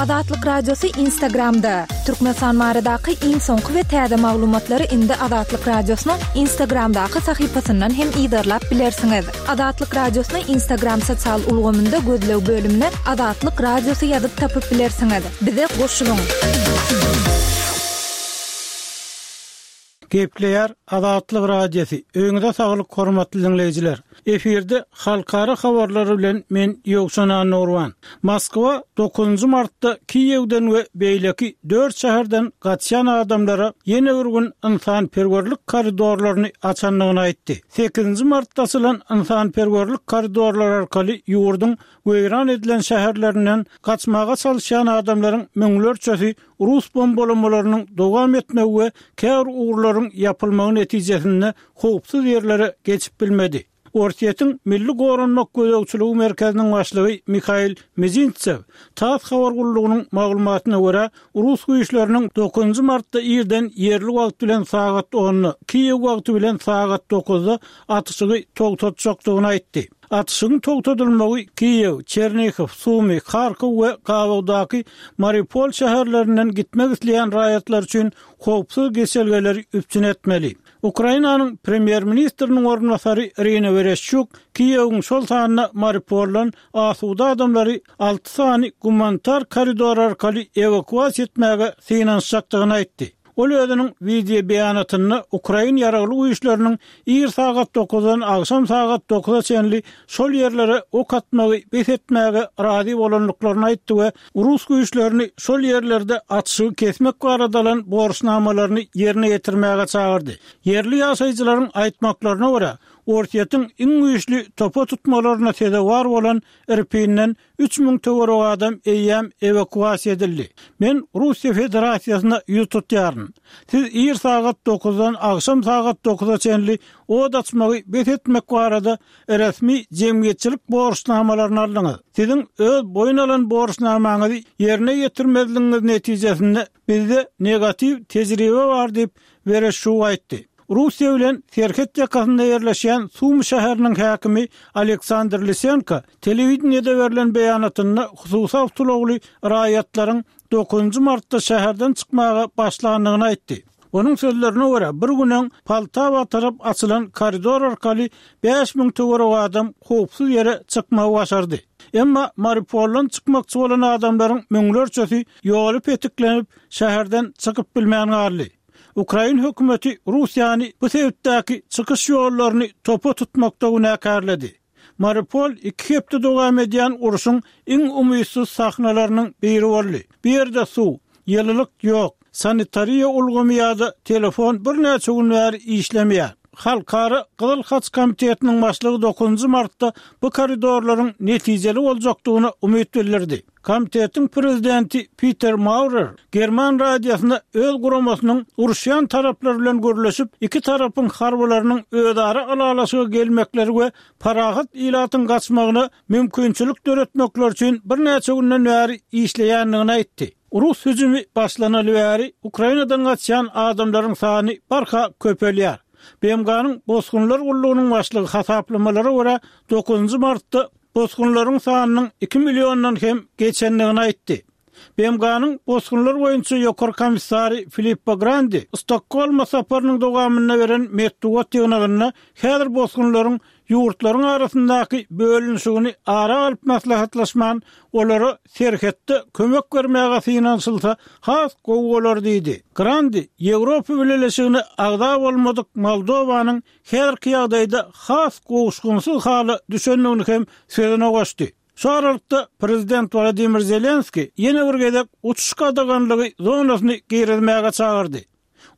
Azatlyk Radiosy Instagramda! Türkmenistan baradaky iň soňky we täze maglumatlary indi Azatlyk Radiosynyň Instagramdaky sahypasyndan hem yzarlap bilersiňiz. Azatlyk Radiosyny Instagram sosial ulgamynda gözleg bölümine Azatlyk Radiosy ýazyp tapyp bilersiňiz. Bize goşulyň! Gepleýär Azatlyk Radiosy, Öýüňize saglyk hormatly diňleýjiler! Efirde halkara habarlary bilen men Ýowşan Annagurban. Moskwa dokuzynjy martda Kiýewden we beýleki dört şäherden gaçýan adamlara ýene bir gün ynsanperwerlik koridorlaryny açandygyny aýtdy. Sekizinji martda açylan ynsanperwerlik koridorlary arkaly ýurduň weýran edilen şäherlerinden gaçmaga çalyşýan adamlaryň müňlerçesi rus bombalamalarynyň dowam etmegi we käbir ugurlaryň ýapylmagy netijesinde howpsuz ýerlere geçip bilmedi. Orsýetiň Milli goranmak gözegçiligi merkeziniň başlygy Mihail Mizintsew tass habar gullugynyň maglumatyna görä, rus güýçleriniň dokuzynjy martda irden ýerli wagt bilen sagat onda, Kiýew wagty bilen sagat dokuzda atyşygy togtatjakdygyny aýtdy. Atyşygyň togtadylmagy Kiýew, Çernihow, Sumy, Harkow we gabawdaky Mariupol şäherlerinden gitmek isleýän raýatlar üçin howpsuz geçelgeleri üpjün etmeli. Ukrainanyň premýer-ministriniň orunbasary Irina Wereşçuk Kiýewiň, şol sanda Mariupoldan asuda adamlary alty sany gumanitar koridor arkaly ewakuasiýa etmäge synanyşjakdygyny aýtdy. Ol özüniň wideo beýanatynda ukrain ýaragly güýçleriniň ir sagat dokuzdan agşam sagat dokuza çenli şol ýerlere ok atmagy bes etmäge razy bolandyklaryny aýtdy we rus güýçlerini şol ýerlerde atyşygy kesmek barada alan borçnamalaryny ýerine ýetirmäge çagyrdy. Ýerli ýaşaýjylaryň aýtmaklaryna görä, Orsýetiň iň güýçli topa tutmalaryna sezewar bolan Irpinden 3000 töweregi adam eýýäm ewakuasiýa edildi. Men Russiýa Federasiýasyna ýüz tutýaryn. Siz ir sagat dokuzdan agşam sagat dokuza çenli od açmagy bes etmek barada resmi jemgyýetçilik borçnamalaryny aldyňyz. Siziň öz boýun alan borçnamaňyzy ýerine ýetirmezligiňiz netijesinde bizde negatiw tejribe bar diýip, Wereşçuk aýtdy. Russiýa bilen serhet ýakasynda ýerleşýän Sumy şäheriniň häkimi Aleksandr Lisenko telewideniýede berlen beýanatynda hususy awtoulagly raýatlaryň dokuzynjy martda şäherden çykmaga başlandygyny aýtdy. Onuň sözlerine görä, bir gün öň Poltawa tarap açylan koridor arkaly 5000 töweregi adam howpsuz ýere çykmagy başardy. Emma Mariupoldan çykmakçy bolan adamlaryň müňlerçesi ýoly petiklenip, şäherden çykyp bilmän galdy. Ukrain hökümeti Russiýany bu sebitdäki çykyş ýollaryny topa tutmakda günäkärledi. Mariupol iki hepde dowam edýän urşuň iň umytsyz sahnalarynyň biri boldy. Bu ýerde suw, ýylylyk ýok, sanitariýa ulgamy ýa-da telefon birnäçe gün bäri işlemeýär. Halkara Gyzyl Haç komitetiniň başlygy dokuzynjy martda bu koridorlaryň netijeli boljakdygyna umyt bildirdi. Komitetiň prezidenti Piter Maurer german radiosyna öz guramasynyň uruşýan taraplar bilen gürleşip, iki tarapyň harbylarynyň özara ylalaşyga gelmekleri we parahat ilatyň gaçmagyna mümkinçilik döretmekleri üçin birnäçe günden bäri işleýändigini aýtdy. Rus hüjümi başlanaly bäri Ukrainadan gaçýan adamlaryň sany barha köpelýär. BMG-niň Bosgunlar gullugynyň başlygy hasaplamalara görä, dokuzynjy martda bosgunlaryň sanynyň iki milliondan hem geçendigini aýtdy. BMG-niň Bosgunlar boýunça Ýokary komissary Filippo Grandi Stokgolma saparynyň dowamynda beren metbugat ýygnagynda häzir bosgunlaryň ýurtlaryň arasyndaky bölünişigini ara alyp maslahatlaşman, olara serhetde kömek bermäge synanyşylsa has gowy bolar diýdi. Grandi Ýewropa Bileleşigine agza bolmadyk Moldowanyň häzirki ýagdaýda has gowuşgynsyz hala düşendigini hem sözüne goşdy. Şu aralykda, prezident Wladimir Zelenskiý ýene bir gezek uçuş gadaganlygy zonasyny girizmäge çagyrdy.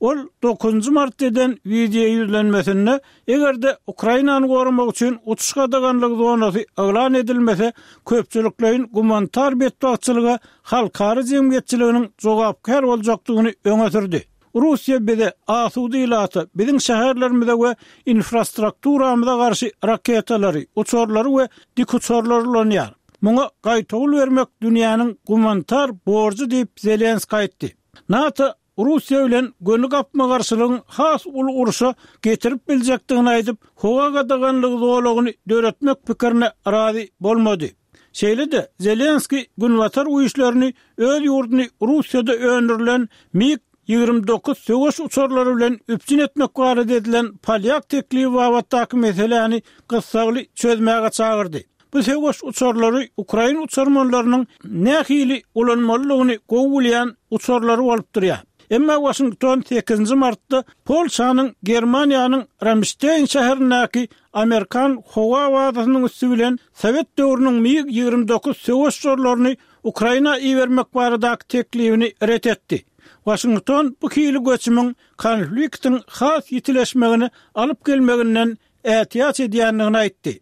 Ol dokuzynjy martda eden wideo ýüzlenmesinde, eger-de Ukrainany goramak üçin uçuş gadaganlygy zonasy yglan edilmese, köpçülikleýin gumanitar betbagtçylyga halkara jemgyýetçiliginiň jogapkär boljakdygyny öňe sürdi. Russiýa bize, asuda ilata, biziň şäherlerimize we infrastrukturamyza garşy raketalary, uçarlary we dikuçarlary ulanýar. Muňa gaýtawul bermek dünýäniň gumanitar borjy diýip, Zelenskiý aýtdy. NATO Russiýa bilen göni gapma-garşylygyň has uly urşa getirip biljekdigini aýdyp, howa gadaganlygy zolagyny döretmek pikirine razy bolmady. Şeýle-de, Zelenskiý Günbatar güýçlerini öz ýurduny Russiýada öndürilen MiG 29 söweş uçarlary bilen üpjün etmek barada edilen polýak teklibi babatdaky meseläni gyssagly çözmäge çagyrdy. Bu söweş uçarlary ukrain uçarmanlarynyň nähili ulanmalydygyny gowy bilýän uçarlary bolup durýar. Emma Waşington sekizinji martda Polşanyň Germaniýanyň Ramşteýn şäherindäki amerikan howa bazasynyň üsti bilen sowet döwrüniň MiG 29 söweş uçarlaryny Ukraina ibermek baradaky teklibini ret etdi. Waşington bu hili göçümiň konfliktiň has ýitileşmegine alyp gelmeginden ätiýaç edýändigini aýtdy.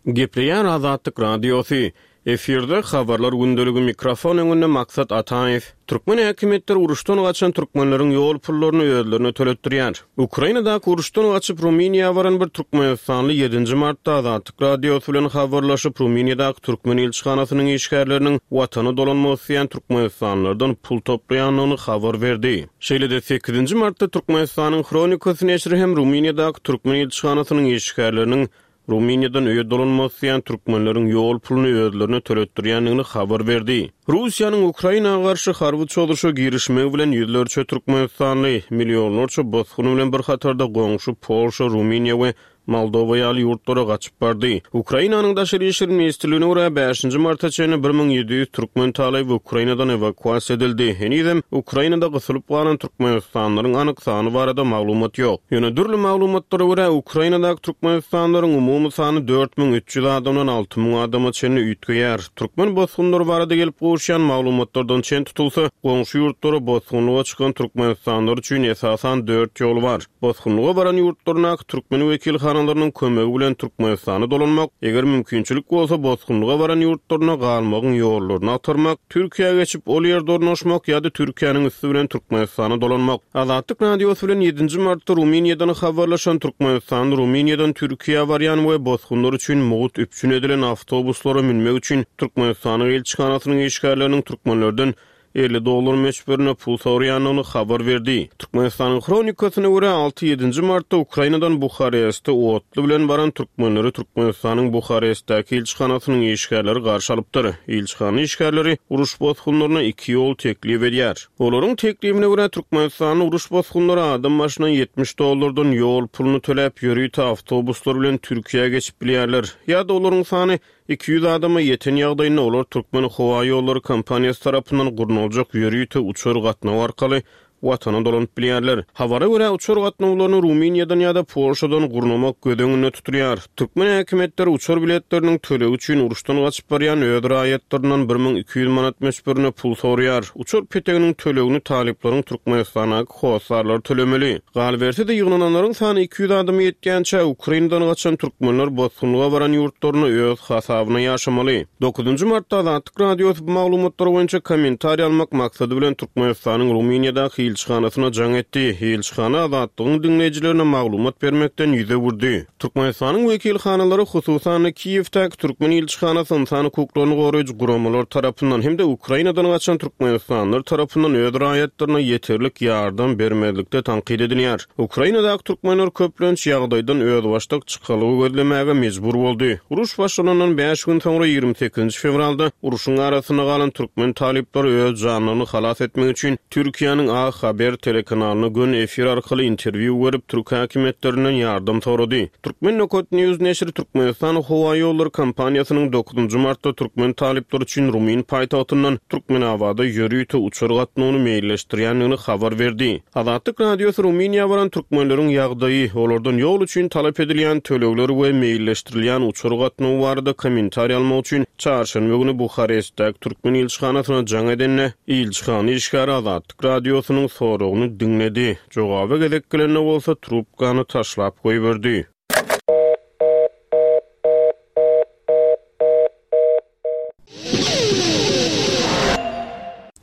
Gepleýär Azatlyk Radiosy. Efirde Habarlar gündeligi mikrofon öňünde Maksat Ataýew. Türkmen häkimiýetleri uruşdan gaçan türkmenleriň ýol pullaryny özlerine töletdirýär. Ukrainadaky uruşdan gaçyp Rumyniýa baran bir türkmenistanly ýedinji martda Azatlyk Radiosy bilen habarlaşyp, Rumyniýadaky türkmen ilçihanasynyň işgärleriniň Watana dolanmak isleýän türkmenistanlylardan pul toplaýandygyny habar berdi. Şeýle-de, sekizinji martda Türkmenistanyň Hronikasy neşiri hem Rumyniýadaky türkmen ilçihanasynyň işgärleriniň Rumyniýadan öýe dolanmak isleýän türkmenleriň ýol puluny özlerine töletdirýändigini habar berdi. Russiýanyň Ukraina garşy harby çozuşa girişmegi bilen ýüzlerçe türkmenistanly, millionlarça bosgun bilen bir hatarda goňşy Polşa, Rumyniýa we Moldowa ýaly ýurtlara gaçyp bardy. Ukrainanyň Daşary işler ministrligine görä, bäşinji marta çenli 1700 türkmen talyby Ukrainadan ewakuasiýa edildi. Henizem Ukrainada gysylyp galan türkmenistanlylaryň anyk sany barada maglumat ýok. Ýöne dürli maglumatlara görä, Ukrainadaky türkmenistanlylaryň umumy sany 4300 adamdan 6000 adama çenli üýtgeýär. Türkmen bosgunlary barada gelip gowuşýan maglumatlardan çen tutulsa, goňşy ýurtlara bosgunlyga çykan türkmenistanlylar üçin esasan dört ýol bar. Bosgunlyga baran ýurtlaryndaky türkmen wekilhanalarynyň kömegi bilen Türkmenistana dolanmak, eger mümkinçilik bolsa bosgunlyga baran ýurtlarynda galmagyň ýollaryny agtarmak, Türkiýä geçip, ol ýerde ornaşmak ýa-da Türkiýäniň üsti bilen Türkmenistana dolanmak. Azatlyk Radiosy bilen ýedinji martda Rumyniýadan habarlaşan türkmenistanly Rumyniýadan Türkiýä barýan we bosgunlar üçin mugt üpjün edilen awtobuslara münmek üçin Türkmenistanyň ilçihanasynyň işgärleriniň türkmenlerden 50 dollar möçberinde pul soraýandygyny habar berdi. Türkmenistanyň Hronikasyna görä, alty-ýedinji martda Ukrainadan Buhareste otly bilen baran türkmenleri Türkmenistanyň Buharestdäki ilçihanasynyň işgärleri garşy alypdyr. Ilçihana işgärleri uruş bosgunlaryna iki ýol teklip edýär. Olaryň teklibine görä, türkmenistanly uruş bosgunlary adam başyna 70 dollardan ýol puluny töläp, ýörite awtobuslar bilen Türkiýä geçip bilýärler. Ýa-da olaryň sany 200 adama ýeten ýagdaýynda olar Türkmenhowaýollary kompaniýasy tarapyndan gurnaljak ýörite uçar gatnawy arkaly Watana dolanyp bilýärler. Habara görä, uçar gatnawlaryny Rumyniýadan ýa-da Polşadan gurnamak göz öňünde tutulýar. Türkmen häkimiýetleri uçar biletleriniň tölegi üçin uruşdan gaçyp barýan öz raýatlaryndan 1200 manat möçberinde pul soraýar. Uçar peteginiň tölegini talyplaryň Türkmenistandaky hossarlary tölemeli. Galyberse-de, ýygnananlaryň sany 200 adama ýetýänçä, Ukrainadan gaçan türkmenler bosgunlyga baran ýurtlarynda öz hasabyna ýaşamaly. Dokuzynjy martda Azatlyk Radiosy bu maglumatlar boýunça kommentariý almak maksady bilen Türkmenistanyň Rumyniýadaky ilçihanasyna jaň etdi. Ilçihana Azatlygyň diňleýjilerine maglumat bermekden ýüz öwürdi. Türkmenistanyň wekilhanalary, hususan-da, Kiýewdäki türkmen ilçihanasy ynsan hukuklaryny goraýjy guramalar tarapyndan hem-de Ukrainadan gaçan türkmenistanlylar tarapyndan öz raýatlaryna ýeterlik ýardam bermezlikde tankyt edilýär. Ukrainadaky türkmenler köplenç ýagdaýdan özbaşdak çykalga gözlemäge mejbur boldy. Uruş başlanandan bäş gün soňra, 28 fewralda urşuň arasynda galan türkmen talyplary öz janlaryny halas etmek üçin Türkiýäniň A Haber telekanalyna göni efir arkaly interwýu berip, türk häkimiýetlerinden ýardam sorady. Turkmen Nokat News neşiri Türkmenistan howaýollary kompaniýasynyň dokuzynjy martda türkmen talyplary üçin rumyn paýtagtyndan Türkmenabada ýörite uçar gatnawyny meýilleşdirýändigini habar berdi. Azatlyk Radiosy Rumyniýa baran türkmenleriň ýagdaýy, olardan ýol üçin talap edilýän tölegler we meýilleşdirilýän uçar gatnawy barada kommentariý almak üçin çarşenbe güni Buharestdäki türkmen ilçihanasyna jaň edende, ilçihana işgäri Azatlyk Radiosynyň soragyny diňledi, jogaba gezek gelende bolsa trubkany taşlap goýberdi.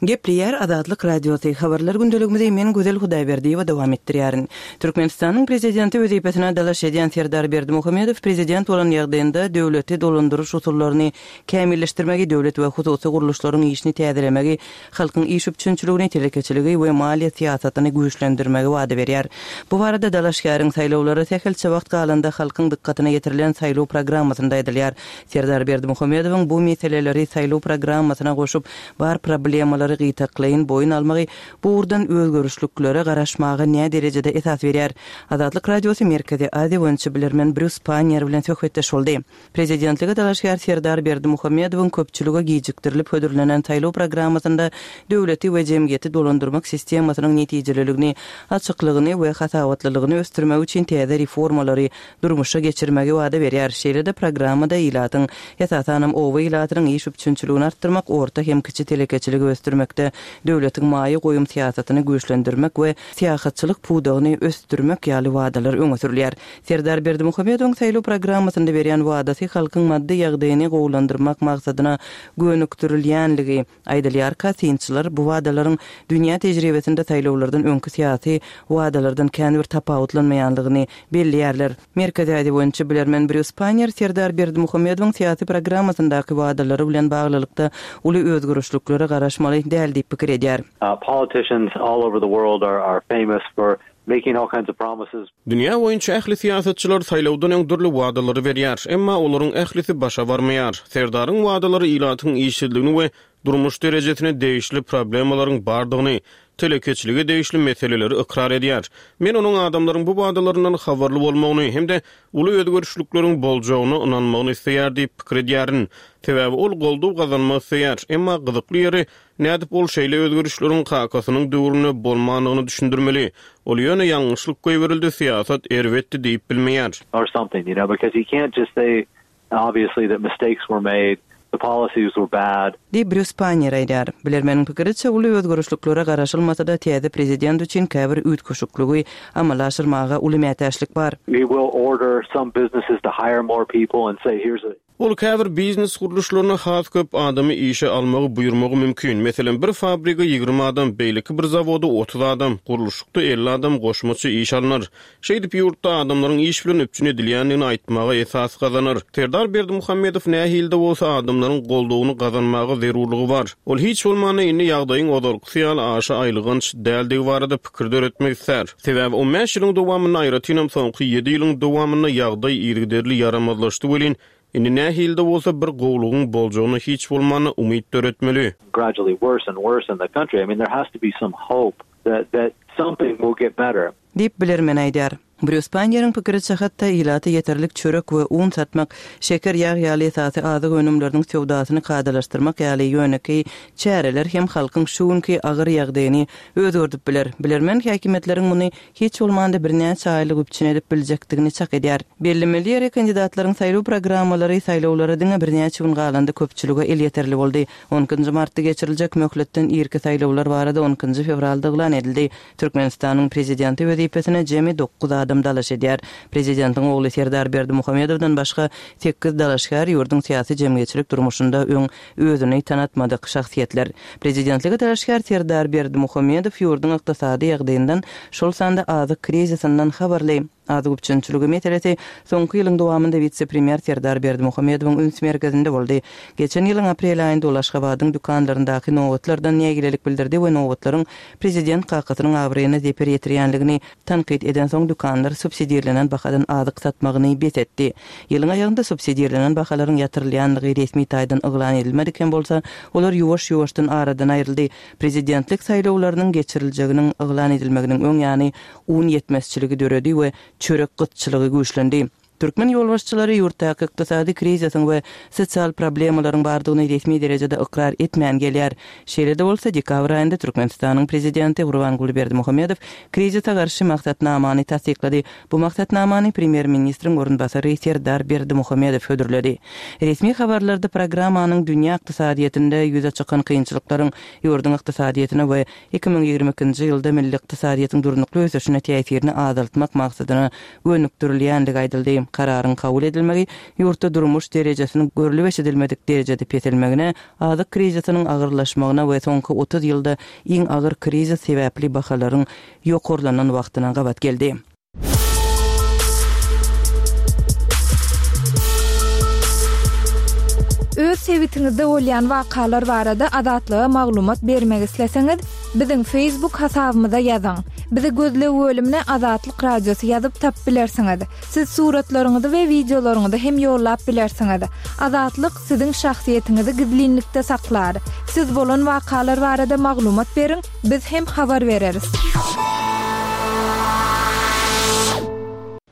Gepleýär Azatlyk Radiosy, Habarlar gündeligimizi men Gözel Hudaýberdiýewa dowam etdirýärin. Türkmenistanyň Prezidenti wezipesine dalaş edýän Serdar Berdimuhamedow prezident bolan ýagdaýynda döwleti dolandyryş usullaryny kämilleşdirmegi, döwlet we hususy gurluşlaryň işini täzelemegi, halkyň iş üpjünçiligini, telekeçiligi we maliýe syýasatyny güýçlendirmegi wada berýär. Bu barada dalaşgäriň saýlawlara sähelçe wagt galanda halkyň dykgatyna ýetirilen saýlaw programmasynda aýdylýar. Serdar Berdimuhamedowyň bu meseleleri saýlaw programmasyna goşup, bar problemalary gytaklaýyn boýun almagy bu ugurdan özgerişliklere garaşmaga näderejede esas berýär? Azatlyk Radiosy Merkezi Aziýa boýunça bilermen Brýus Panniýer bilen söhbetdeş boldy. Prezidentlige dalaşgär Serdar Berdimuhamedowyň köpçülige gijikdirilip hödürlenen saýlaw programmasynda döwleti we jemgyýeti dolandyrmak sistemasynyň netijeliligini, açyklygyny we hasabatlylygyny ösdürmek üçin täze reformalary durmuşa geçirmegi wada berýär. Şeýle-de programmada ilatyň, esasanam oba ilatynyň iş üpjünçiligini artdyrmak, orta hem kiçi telekeçiligi ösdürmekde döwletiň maýa goýum syýasatyny güýçlendirmek we syýahatçylyk pudagyny ösdürmek ýaly wadalar öňe sürülýär. Serdar Berdimuhamedowyň saýlaw programmasynda berýän wadasy halkyň maddy ýagdaýyny gowulandyrmak maksadyna gönükdirilýänligi aýdylýarka, synçylar bu wadalaryň dünýä tejribesinde saýlawlardan öňki syýasy wadalardan kän bir tapawutlanmaýanlygyny belleýärler. Merkezi Aziýa boýunça bilermen Brýus Pannier Serdar Berdimuhamedowyň syýasy programmasyndaky wadalary bilen baglylykda uly özgerişliklere garaşmaly däl diýip pikir edýär. Politicians all over the world are famous for making all kinds of promises. Dünýä boýunça ähli syýasatçylar saýlawdan öň dürli wadalary berýär, emma olaryň ählisi başa barmaýar. Serdaryň wadalary ilatyň işsizligini we durmuş derejesine degişli problemalaryň bardygyny, telekeçilige degişli meseleleri ykrar edýär. Men onuň adamlaryň bu wadalaryndan habarly bolmagyny hem-de uly özgerişlikleriň boljagyna ynanmagyny isleýär diýip pikir edýärin. Sebäbi ol goldaw gazanmak isleýär. Emma gyzykly ýeri, Nädip ol şeýle özgerişleriň kakasynyň döwründe bolmandygyny düşündirmeli? Ol ýöne ýalňyşlyk goýberildi, syýasat erbetdi diýip bilmeýär. Or something, you know, because he can't just say obviously that mistakes were made, the policies were bad. Diýip, Brýus Panniýer aýdýar. Bilermeniň pikiriçe, uly özgerişliklere garaşylmasa-da, täze prezident üçin käbir üýtgeşikligi amala aşyrmaga uly mätäçlik bar. He will order some businesses to hire more people and say here's a. Ol käbir biznes gurluşlaryna has köp adamy işe almagy buýurmagy mümkin. Meselem, bir fabrige 20 adam, beýleki bir zawoda 30 adam, gurluşykda 50 adam goşmaça işe alnar. Şeýdip, ýurtda adamlaryň iş bilen üpjün edilýändigini aýtmaga esas gazanar. Serdar Berdimuhamedow nähili-de bolsa adamlaryň goldawyny gazanmaga zerurlygy bar. Ol hiç bolmanda indi ýagdaýyň ozalkysy ýaly aşa aýylganç däldigi barada pikir döretmek islär. Sebäbi on bäş ýylyň dowamynda, aýratynam soňky ýedi ýylyň dowamynda ýagdaý yzygiderli ýaramazlaşdy welin, indi nähili-de bolsa bir gowulygyň boljagyna hiç bolmanda umyt döretmeli. Gradually worse and worse in the country. I mean there has to be some hope that that something will get better. Diýip, bilermen aýdýar. Brýus Panniýeriň pikiriçe, hatda ilata ýeterlik çörek we un satmak, şeker, ýag ýaly esasy azyk önümleriniň söwdasyny kadalaşdyrmak ýaly ýönekeý çäreler hem halkyň şu günki agyr ýagdaýyny özgerdip biler. Bilermen häkimiýetleriň muny hiç bolmanda birnäçe aýlyk üpjün edip biljekdigini çak edýär. Bellemeli ýeri, kandidatlaryň saýlaw programmalary saýlawlara diňe birnäçe gün galanda köpçülige elýeterli boldy. On ikinji martda geçiriljek möhletden irki saýlawlar barada on ikinji fewralda yglan edildi. Türkmenistanyň Prezidenti wezipesine jemi dokuz adam dalaş edýär. Prezidentiň ogly Serdar Berdimuhamedowdan başga sekiz dalaşgär ýurduň syýasy-jemgyýetçilik durmuşynda öň özüni tanatmadyk şahsyýetler. Prezidentlige dalaşgär Serdar Berdimuhamedow ýurduň ykdysady ýagdaýyndan, şol sanda azyk krizisinden habarly. Azyk üpjünçiligi meselesi soňky ýylyň dowamynda wise-premýer Serdar Berdimuhamedowyň üns merkezinde boldy. Geçen ýylyň aprel aýynda ol Aşgabadyň dükanlaryndaky nobatlardan nägilelik bildirdi we nobatlaryň prezident kakasynyň abraýyna zeper ýetirýänligini tankyt edensoň dükanlar subsidirlenen bahadan azyk satmagyny bes etdi. Ýylyň aýagynda subsidirlenen bahalaryň ýatyrylýanlygy resmi taýdan yglan edilmedik hem bolsa, olar ýuwaş-ýuwaşdan aradan aýryldy. Prezidentlik saýlawlarynyň geçiriljeginiň yglan edilmeginiň öň ýany un ýetmezçiligi döredi we çörek gytçylygy güýçlendi. Türkmen ýolbaşçylary ýurtdaky ykdysady krizisiň we sosial problemalaryň bardygyny resmi derejede ykrar etmän gelýär. Şeýle-de bolsa, dekabr aýynda Türkmenistanyň prezidenti Gurbanguly Berdimuhamedow krizise garşy maksatnamany tassyklady. Bu maksatnamany premýer-ministriň orunbasary Serdar Berdimuhamedow hödürledi. Resmi habarlarda programmanyň dünýä ykdysadyýetinde ýüze çykan kynçylyklaryň ýurduň ykdysadyýetine we 2022-nji ýylda milli ykdysadyýetiň durnukly ösüşine täsirini azaltmak maksadyna gönükdirilýändigi aýdyldy. Kararyň kabul edilmegi ýurtda durmuş derejesiniň görlüp-eşidilmedik derejede peselmegine, azyk krizisiniň agyrlaşmagyna we soňky 30 ýylda iň agyr krizis sebäpli bahalaryň ýokarlanan wagtyna gabat geldi. Öz sebitiňizde bolýan wakalar barada Azatlyga maglumat bermek isleseňiz, biziň Facebook hasabymyza ýazyň. Bizi gözleg bölümine Azatlyk Radiosy ýazyp tapyp bilersiňiz. Siz suratlaryňyzy we wideolaryňyzy hem ýollap bilersiňiz. Azatlyk siziň şahsyýetiňizi gizlinlikde saklar. Siz bolan wakalar barada maglumat beriň, biz hem habar bereris.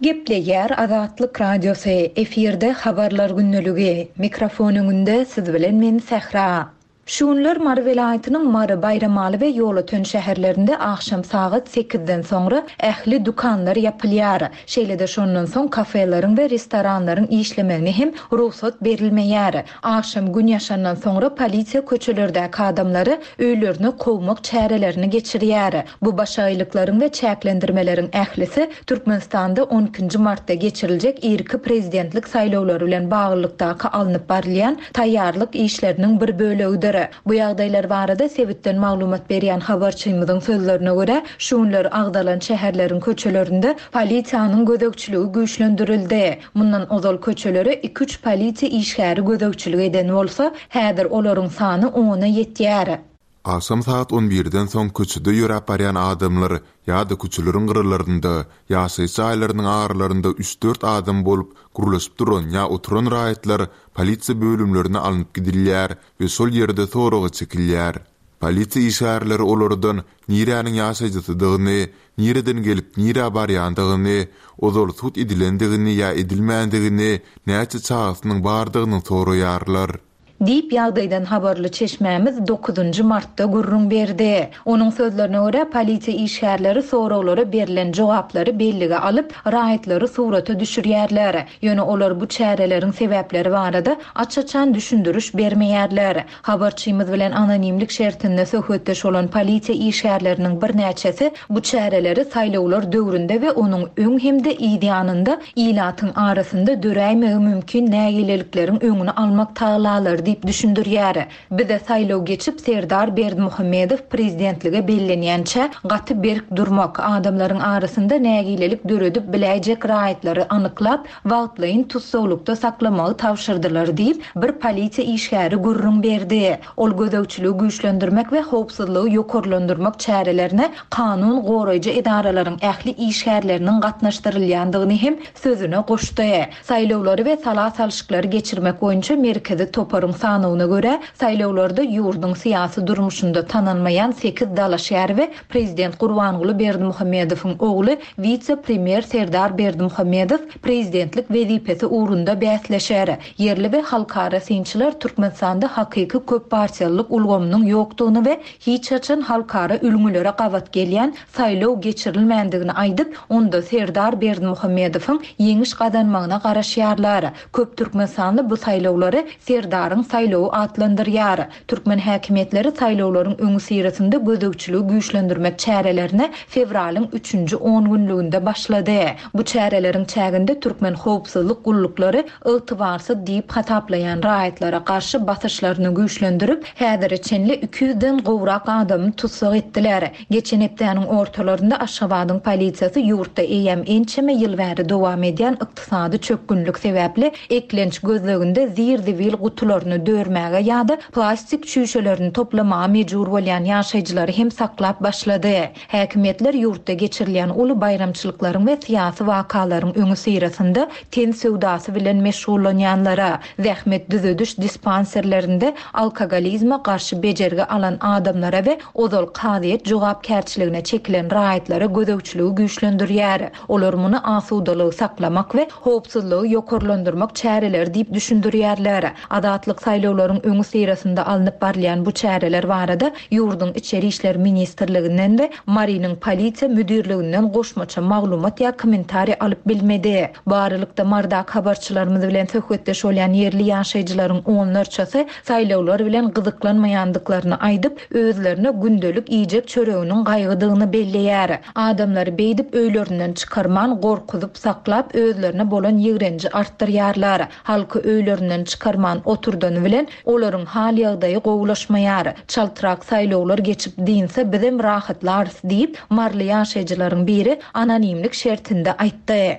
Gepleýär Azatlyk Radiosy, efirde Habarlar gündeligi, mikrofon öňünde siz bilen men Sähra. Şu günler Mary welaýatynyň Mary, Baýramaly we Ýolöten şäherlerinde agşam sagat sekizden soňra ähli dükanlar ýapylýar. Şeýle-de şondan soň kafeleriň we restoranlaryň işlemegine hem rugsat berilmeýär. Agşam Gün ýaşandan soňra polisiýa köçelerdäki adamlary öýlerine kowmak çärelerini geçirýär. Bu başagaýlyklaryň we çäklendirmeleriň ählisi Türkmenistanda on ikinji martda geçiriljek irki prezidentlik saýlawlary bilen baglylykdaky alnyp barylýan taýýarlyk işleriniň bir bölegidir. Bu ýagdaýlar barada sebitden maglumat berýän habarçymyzyň sözlerine görä, şu günler agzalan şäherleriň köçelerinde polisiýanyň gözegçiligi güýçlendirildi. Mundan ozal köçelere iki-üç polisiýa işgäri gözegçilik eden bolsa, häzir olaryň sany ona ýetýär. Agşam sagat on birden soň köçede ýöräp barýan adamlar ýa-da köçeleriň gyralarynda, ýaşaýyş jaýlarynyň aralarynda üç-dört adam bolup, gürleşip duran ýa oturan raýatlar polisiýa bölümlerine alnyp gidilýär we şol ýerde soraga çekilýär. Polisiýa işgärleri olardan niräniň ýaşaýjysydygyny, nireden gelip nirä barýandygyny, ozal sud edilendigini ýa edilmändigini, näçe çagasynyň bardygyny soraýarlar. Diýip, ýagdaýdan habarly çeşmämiz dokuzynjy martda gürrüň berdi. Onuň sözlerine görä, polisiýa işgärleri soraglara berlen jogaplary bellige alyp, raýatlary surata düşürýärler. Ýöne olar bu çäreleriň sebäpleri barada aç-açan düşündiriş bermeýärler. Habarçymyz bilen anonimlik şertinde söhbetdeş bolan polisiýa işgärleriniň birnäçesi bu çäreleri saýlawlar döwründe we onuň öň hem-de yz ýanynda ilatyň arasynda döräýmegi mümkin nägilelikleriň öňüni almak tagallalary diýip düşündirýär. Bize saýlaw geçip Serdar Berdimuhamedow prezidentlige bellenýänçä gaty berk durmak, adamlaryň arasynda nägilelik döredip biläýjek raýatlary anyklap, wagtlaýyn tussaglykda saklamagy tabşyrdylar diýip, bir polisiýa işgäri gürrüň berdi. Ol gözegçiligi güýçlendirmek we howpsuzlygy ýokarlandyrmak çärelerine kanun goraýjy edaralaryň ähli işgärleriniň gatnaşdyrylýandygyny hem sözüne goşdy. Saýlawlary we sala salşyklary geçirmek boýunça Merkezi toparyň sanawyna görä, saýlawlarda ýurduň syýasy durmuşynda tanalmaýan sekiz dalaşgär we prezident Gurbanguly Berdimuhamedowyň ogly, wise-premýer Serdar Berdimuhamedow prezidentlik wezipesi ugrunda bäsleşer. Ýerli we halkara synçylar Türkmenistanda hakyky köppartiýalylyk ulgamynyň ýokdugyny we hiç haçan halkara ülňülere gabat gelýän saýlaw geçirilmändigini aýdyp, onda Serdar Berdimuhamedowyň ýeňiş gazanmagyna garaşýarlar. Köp türkmenistanly bu saýlawlary Serdaryň saýlawy atlandyrýar. Türkmen häkimiýetleri saýlawlaryň öňüsyrasynda gözegçiligi güýçlendirmek çärelerine fewralyň üçünji ongünlüginde başlady. Bu çäreleriň çäginde türkmen howpsuzlyk gulluklary ygtybarsyz diýip hasaplaýan raýatlara garşy basyşlaryny güýçlendirip, häzire çenli iki ýüzden gowrak adamy tussag etdiler. Geçen hepdäniň ortalarynda Aşgabadyň polisiýasy ýurtda eýýäm ençeme ýyl bäri dowam edýän ykdysady çökgünlik sebäpli eklenç gözleginde zir-zibil gutularyny dörmäge ýa-da plastik çüýşelerini toplamaga mejbur bolýan ýaşaýjylary hem saklap başlady. Häkimiýetler ýurtda geçirilýän uly baýramçylyklaryň we syýasy wakalaryň öňüsyrasynda ten söwdasy bilen meşgullanýanlara, zähmet düzediş dispanserlerinde alkogolizme garşy bejergi alan adamlara we ozal kazyýet jogapkärçiligine çekilen raýatlara gözegçiligi güýçlendirýär. Olar muny asudalygy saklamak we howpsuzlygy ýokarlandyrmak çäreleri diýip düşündirýärler. Azatlyk. Saýlawlaryň öňüsyrasynda alnyp barylýan bu çäreler barada ýurduň Içeri işler ministrliginden we Marynyň Polisiýa müdirliginden goşmaça maglumat ýa kommentariý alyp bilmedi. Bu aralykda, Marydaky habarçylarymyz bilen söhbetdeş bolýan ýerli ýaşaýjylaryň onlarçasy saýlawlar bilen gyzyklanmaýandyklaryny aýdyp, özlerine gündelik iýjek çöreginiň gaýgydygyny belleýär. Adamlary beýdip öýlerinden çykarman, gorkuzyp saklap, özlerine bolan ýigrenji artdyrýarlar. Halky öýlerinden çykarman oturdany bilen, olaryň hal-ýagdaýy gowulaşmaýar. Çaltrak saýlawlar geçip dynsa bizem rahatlarys diýip, maryly ýaşaýjylaryň biri anonimlik şertinde aýtdy.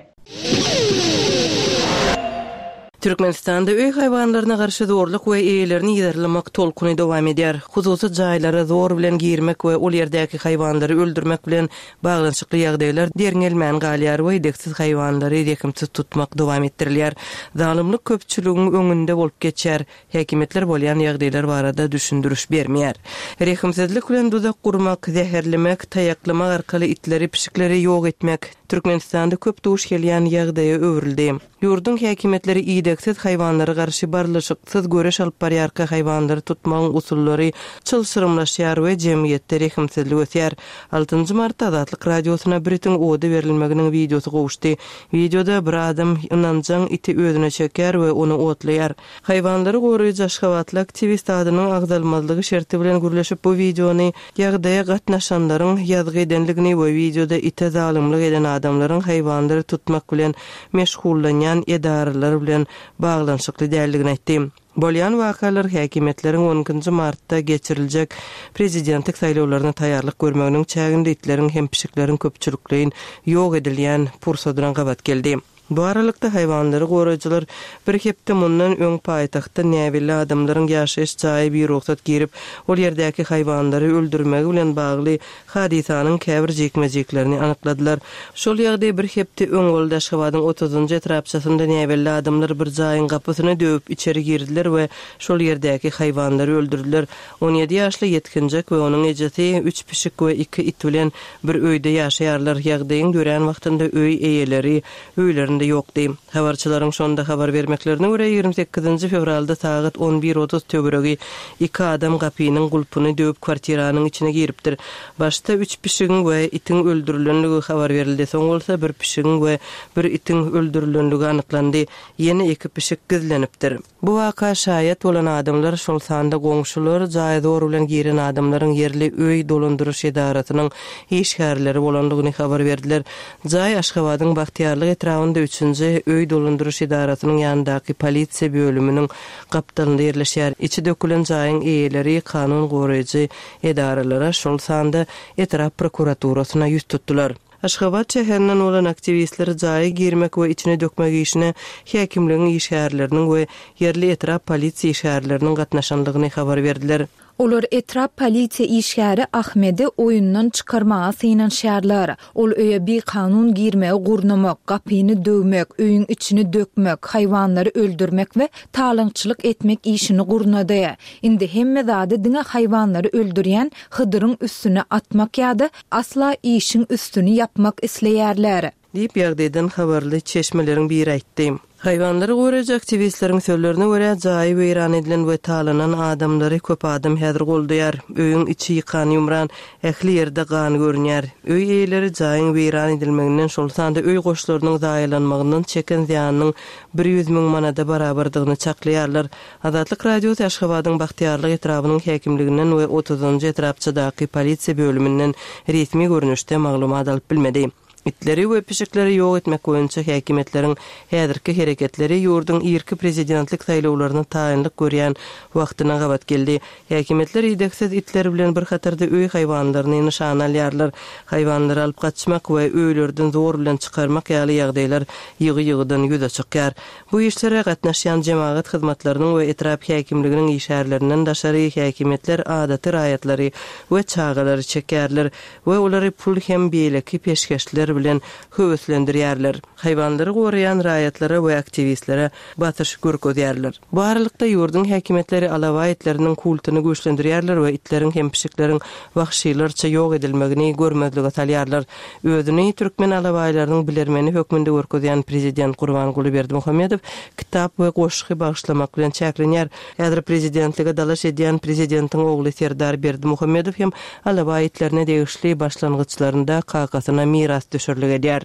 Türkmenistanda öý haýwanlaryna garşy zorluk we eýelerini yzarlamak tolkuny dowam edýär. Hususy jaýlara zor bilen girmek we ol ýerdäki haýwanlary öldürmek bilen baglanyşykly ýagdaýlar derňelmän galýar we idegsiz haýwanlary rehimsiz tutmak dowam etdirilýär. Zalymlyk köpçüligiň öňünde bolup geçýär. Häkimiýetler bolýan ýagdaýlar barada düşündiriş bermeýär. Rehimsizlik bilen duzak gurmak, zäherlemek, taýaklamak arkaly itleri, pişikleri ýok etmek Türkmenistanda köp duş gelýän ýagdaýa öwrüldi. Ýurduň häkimiýetleri idegsiz haýwanlara garşy barlyşyksyz göreş alyp barýarka haýwanlary tutmagyň usullary çylşyrymlaşýar we jemgyýetde rehimsizlik ösýär. Altynjy martda Azatlyk Radiosyna bir itiň oda berilmeginiň wideosy gowuşdy. Wideoda bir adam ynanjaň iti özüne çekýär we ony otlaýar. Haýwanlary goraýjy aşgabatly aktiwist adynyň agzalmazlygy şerti bilen gürleşip bu wideony ýagdaýa gatnaşanlaryň ýazgy edenligini we wideoda ite zalymlyk eden adamlaryň haýwanlary tutmak bilen meşgullanýan edaralar bilen baglanyşykly däldigini aýtdy. Bolýan wakalar häkimiýetleriň on ikinji martda geçiriljek prezidentlik saýlawlaryna taýýarlyk görmeginiň çäginde itleriň hem pişikleriň köpçülikleýin ýok edilýän pursadyna gabat geldi. Bu aralykda, haýwanlary goraýjylar bir hepde mundan öň paýtagtda näbelli adamlaryň ýaşaýyş jaýa birugsat girip, ol ýerdäki haýwanlary öldürmegi bilen bagly hadysanyň käbir jikme-jiklerini anykladylar. Şol ýagdaý bir hepde öň boldy. Aşgabadyň otuzynjy etrapçasynda näbelli adamlar bir jaýyň gapysyny döwüp içeri girdiler we şol ýerdäki haýwanlary öldürdiler. 17 ýaşly ýetginjek we onuň ejesi üç pişik we iki it bilen bir öýde ýaşaýarlar. Ýagdaýyň dörän wagtynda öý eýeleri öýlerinde ýokdy. Habarçylaryň şonda habar bermeklerine görä, 28-nji fewralda sagat 11 otuz töweregi iki adam gapynyň gulpuny döwüp kwartiranyň içine giripdir. Başda üç pişigiň we itiň öldürilenligi habar berildi, soň bolsa bir pişigiň we bir itiň öldürilenligi anyklandy. Ýene iki pişik gizlenipdir. Bu waka şaýat bolan adamlar, şol sanda goňşular, jaýa zor bilen giren adamlaryň ýerli öý dolandyryş edarasynyň işgärleri bolandygyny habar berdiler. Jaý Aşgabadyň Bagtyýarlyk etrabynda üçünji öý dolandyryş edarasynyň ýanyndaky polisiýa bölüminiň gapdalynda ýerleşýär. Içi dökülen jaýyň eýeleri kanun goraýjy edaralara, şol sanda etrap prokuraturasyna ýüz tutdular. Aşgabat şäherinden bolan aktiwistler jaýa girmek we içini dökmek işine häkimligiň işgärleriniň we ýerli etrap polisiýa işgärleriniň gatnaşandygyny habar berdiler. Olar etrap polisiýa işgäri Ahmedi oýundan çykarmaga synanyşýarlar. Ol öýe bikanun girmegi gurnamak, gapyny döwmek, öýüň içini dökmek, haýwanlary öldürmek we talaňçylyk etmek işini gurnady. Indi hemme zady diňe haýwanlary öldürýän Hydyryň üstüne atmak ýa-da asla işiň üstüni ýapmak isleýärler. Diýip, ýagdaýdan habarly çeşmeleriň biri aýtdy. Haýwanlary goraýjy aktiwistleriň sözlerine görä, jaýy weýran edilen we talanan adamlary köp adam häzir goldaýar. Öýüň içi ýykan-ýumran, ähli ýerde gan görünýär. Öý eýeleri jaýyň weýran edilmeginden, şol sanda öý goşlarynyň zaýalanmagyndan çeken zyýanynyň 100 müň manada barabardygyny çaklaýarlar. Azatlyk Radiosy Aşgabadyň Bagtyýarlyk etrabynyň häkimliginden we otuzynjy etrapçadaky polisiýa bölüminden resmi görnüşde maglumat alyp bilmedi. Itleri we pişikleri ýok etmek boýunça häkimiýetleriň häzirki hereketleri ýurduň irki prezidentlik saýlawlaryna taýynlyk görýän wagtyna gabat geldi. Häkimiýetler idegsiz itler bilen bir hatarda öý haýwanlaryny nyşana alýarlar. Haýwanlary alyp gaçmak we öýlerden zor bilen çykarmak ýaly ýagdaýlar ýygy-ýygydan ýüze çykýar. Bu işlere gatnaşýan jemagat hyzmatlarynyň we etrap häkimliginiň işgärlerinden daşary häkimiýetler adaty raýatlary we çagalary çekýärler we olary pul hem beýleki peşgeşler. çeşmeler bilen höweslendirýärler. Haýwanlary goraýan raýatlara we aktiwistlere basyş görkezýärler. Bu aralykda, ýurduň häkimiýetleri alabaý itleriniň kultuny güýçlendirýärler we itleriň hem pişikleriň wagşylarça ýok edilmegini görmezlige salýarlar. Özüni türkmen alabaýlarynyň bilermeni hökmünde görkezýän prezident Gurbanguly Berdimuhamedow kitap we goşgy bagyşlamak bilen çäklenýär. Häzir prezidentlige dalaş edýän prezidentiň ogly Serdar Berdimuhamedow hem alabaý itlerine degişli başlangyçlarynda kakasyna mirasdüşerlik edýär.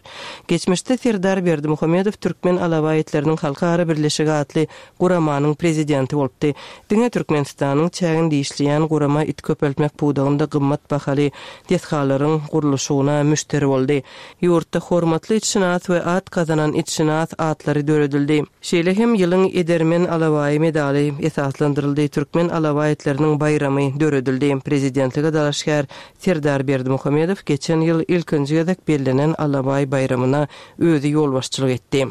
Geçmişde Serdar Berdimuhamedow Türkmen alabaý itleriniň halkara birleşigi atly guramanyň prezidenti bolupdy. Diňe Türkmenistanyň çäginde işleýän gurama it köpeltmek pudagynda gymmat bahaly desgalaryň gurluşygyna müşderi boldy. Ýurtda Hormatly itşynas we At gazanan itşynas atlary döredildi. Şeýle hem Ýylyň edermen alabaýy medaly esaslandyryldy, Türkmen alabaý itleriniň baýramy döredildi. Prezidentlige dalaşgär Serdar Berdimuhamedow geçen ýyl ilkinji gezek bellenen Alabaý baýramyna özi ýolbaşçylyk etdi.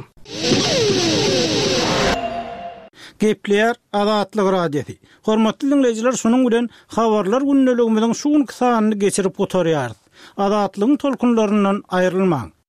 Gepleýär Azatlyk Radiosy. Hormatly diňleýjiler şunuň bilen Habarlar gündeligimiziň şu günki sanyny geçirip gutarýarys. Azatlygyň tolkunlaryndan aýrylmaň!